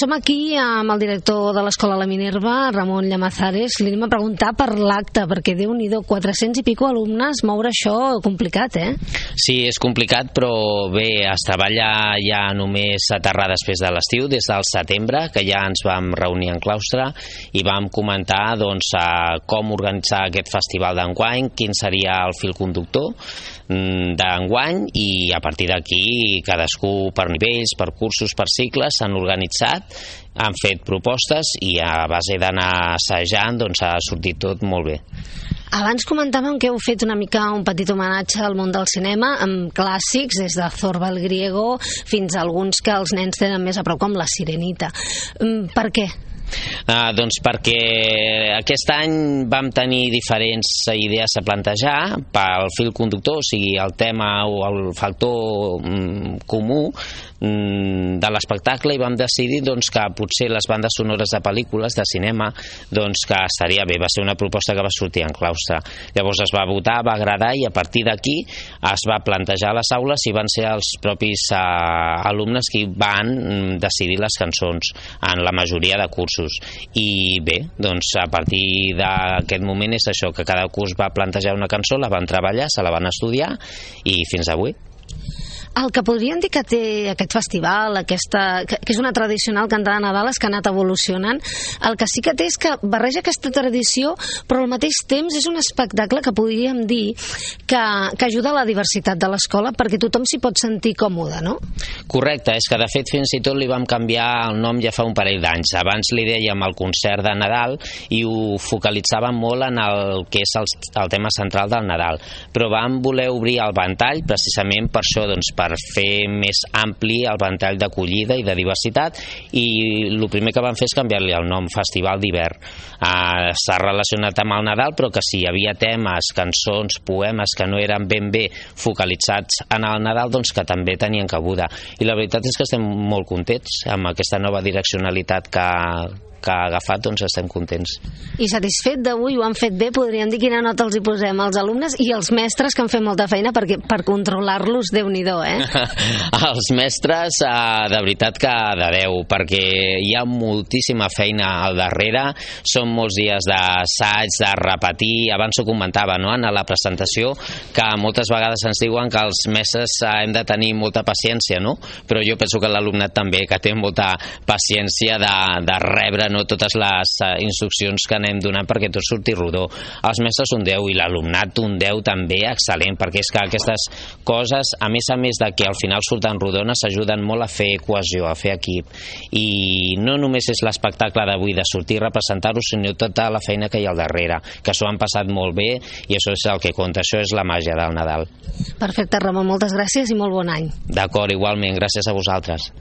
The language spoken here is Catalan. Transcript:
Som aquí amb el director de l'Escola La Minerva, Ramon Llamazares. Li anem a preguntar per l'acte, perquè Déu-n'hi-do, 400 i pico alumnes, moure això complicat, eh? Sí, és complicat, però bé, es treballa ja només aterrar després de l'estiu, des del setembre, que ja ens vam reunir en claustre i vam comentar doncs, com organitzar aquest festival d'enguany, quin seria el fil conductor d'enguany, i a partir d'aquí cadascú per nivells, per cursos, per cicles s'han organitzat, han fet propostes i a base d'anar assajant doncs ha sortit tot molt bé. Abans comentàvem que heu fet una mica un petit homenatge al món del cinema amb clàssics, des de Zorba el Griego fins a alguns que els nens tenen més a prop, com La Sirenita. Per què? Doncs perquè aquest any vam tenir diferents idees a plantejar pel fil conductor, o sigui, el tema o el factor comú de l'espectacle, i vam decidir doncs, que potser les bandes sonores de pel·lícules de cinema doncs, que estaria bé. Va ser una proposta que va sortir en claustre. Llavors es va votar, va agradar, i a partir d'aquí es va plantejar a les aules i van ser els propis alumnes qui van decidir les cançons en la majoria de cursos. I bé, doncs a partir d'aquest moment és això, que cada curs va plantejar una cançó, la van treballar, se la van estudiar i fins avui. El que podríem dir que té aquest festival, que és una tradicional cantada de Nadal, és que ha anat evolucionant. El que sí que té és que barreja aquesta tradició, però al mateix temps és un espectacle que podríem dir que ajuda a la diversitat de l'escola, perquè tothom s'hi pot sentir còmode, no? Correcte, és que de fet fins i tot li vam canviar el nom ja fa un parell d'anys. Abans li dèiem el concert de Nadal i ho focalitzàvem molt en el que és el tema central del Nadal, però vam voler obrir el ventall precisament per això, doncs, per fer més ampli el ventall d'acollida i de diversitat, i el primer que vam fer és canviar-li el nom, Festival d'Hivern. S'ha relacionat amb el Nadal, però que si hi havia temes, cançons, poemes que no eren ben bé focalitzats en el Nadal, doncs que també tenien cabuda. I la veritat és que estem molt contents amb aquesta nova direccionalitat que ha agafat, doncs estem contents. I satisfet d'avui, ho han fet bé, podríem dir quina nota els hi posem als alumnes i als mestres, que han fet molta feina per controlar-los, Déu-n'hi-do, eh? Els mestres, de veritat que de 10, perquè hi ha moltíssima feina al darrere, són molts dies d'assaig, de repetir. Abans ho comentava, no?, en la presentació, que moltes vegades ens diuen que els mestres hem de tenir molta paciència, no? Però jo penso que l'alumnat també, que té molta paciència de rebre totes les instruccions que anem donant perquè tot surti rodó. Els mestres un 10 i l'alumnat un 10 també excel·lent, perquè és que aquestes coses, a més de que al final surten rodones, ajuden molt a fer cohesió, a fer equip. I no només és l'espectacle d'avui de sortir i representar-ho, sinó tota la feina que hi ha al darrere, que s'ho han passat molt bé, i això és el que compta, això és la màgia del Nadal. Perfecte, Ramon, moltes gràcies i molt bon any. D'acord, igualment, gràcies a vosaltres.